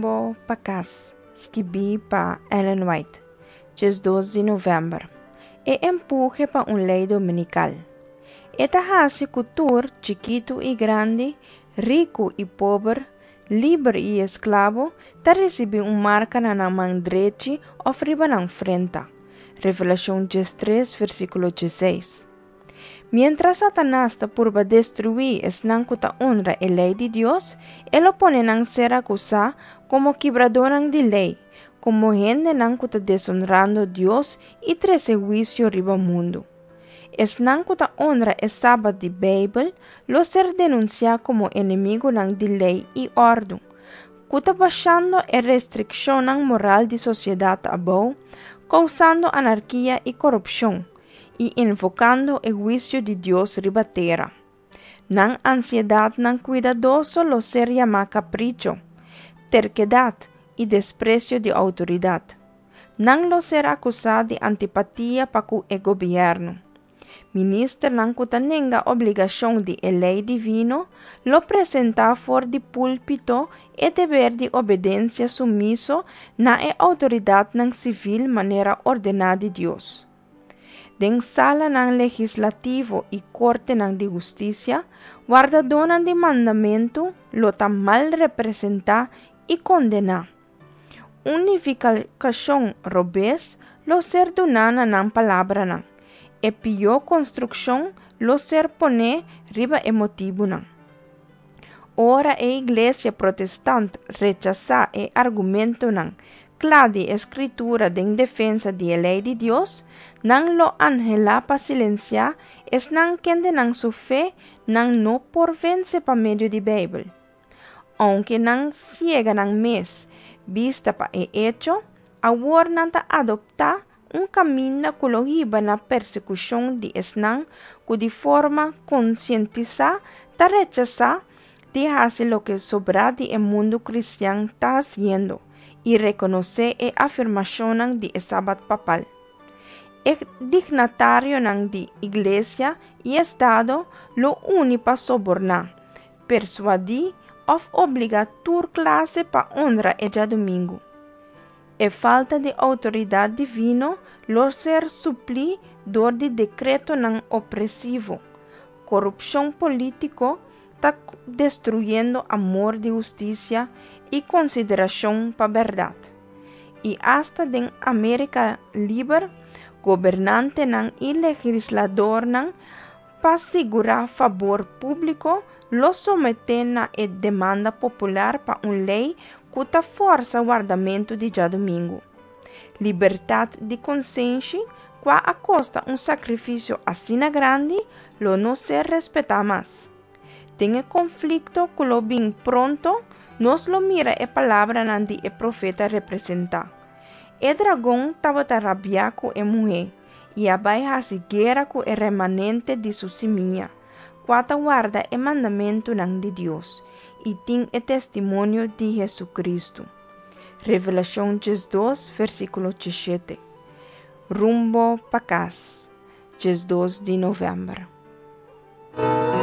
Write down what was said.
Rumbo pa Kas, skibí pa Ellen White, 12 di novèmber. E empuhe pa un lei dominikal. E ta hasi ku tur, chikitu i grandi, riku i pober, liber i esklabo, ta risibí un marka na nan man drechi òf riba nan frenta. Revelashon 13, versíkulo 16. Miéntras Satanas ta purba destruí esnan ku ta honra e lei di Dios, e lo pone nan ser akusá komo kibradónan di lei, komo hendenan ku ta desonrando Dios i trese huisio riba mundu. Esnan ku ta honra e sabat di Beibel lo ser denunsiá komo enemigunan di lei i òrdu, ku ta bashando e restrikshonnan moral di sosiedat abou, kousando anarkia i korupshon, i invokando e huisio di Dios riba tera. Nan ansiedatnan kuidadoso lo ser yamá kapricho, terkedat i despresio di outoridat. Nan lo ser akusá di antipatia pa ku e gobièrnu. Ministernan ku ta nenga obligashon di e lei divino lo presentá for di púlpito e deber di obedensia sumiso na e outoridatnan sivil manera ordená di Dios. Den salanan legislativo i kortenan di hustisia, wardadónan di mandamentu lo ta mal representá i kondená. Un nifikashon robes lo ser duná na nan palabranan. E pió konstrukshon lo ser poné riba e motibunan. Ora e iglesia protestant rechasá e argumentonan kla di e Skritura den defensa di e lei di Dios, nan lo anhelá pa silensiá esnan kendenan su fe nan no por vense pa medio di Beibel. Ounke nan siega nan mes bista pa e echo, awor nan ta adoptá un kaminda ku lo hiba na persekushon di esnan ku di forma konsientisá ta rechasá di hasi loke sobrá di e mundu kristian ta hasiendo i rekonosé e afirmashonnan di e sabat papal. E dignatarionan di iglesia i estado lo uni pa soborná, persuadí òf obligá tur klase pa honra e djadumingu. E falta di outoridat divino lo ser suplí dor di dekretonan opresivo. Korupshon polítiko ta destruyendo amor di hustisia i konsiderashon pa bèrdat. I asta den Amérika liber, gobernantenan i legisladornan pa sigurá fabor públiko lo someté na e demanda popular pa un lei ku ta fòrsa wardamentu di djadumingu. Libertat di konsenshi, kua a kosta un sakrifisio asina grandi, lo no ser respetá mas. Den e konflikto ku lo bin pronto, nos lo mira e palabranan di e profeta representá. E dragon tabata rabiá ku e muhé i a bai hasi guera ku e remanente di su simia, kua ta warda e mandamentunan di Dios i tin e testimonio di Hesukristu. Revelashon 12, versíkulo 17. Rumbo pa kas, 12 di novèmber.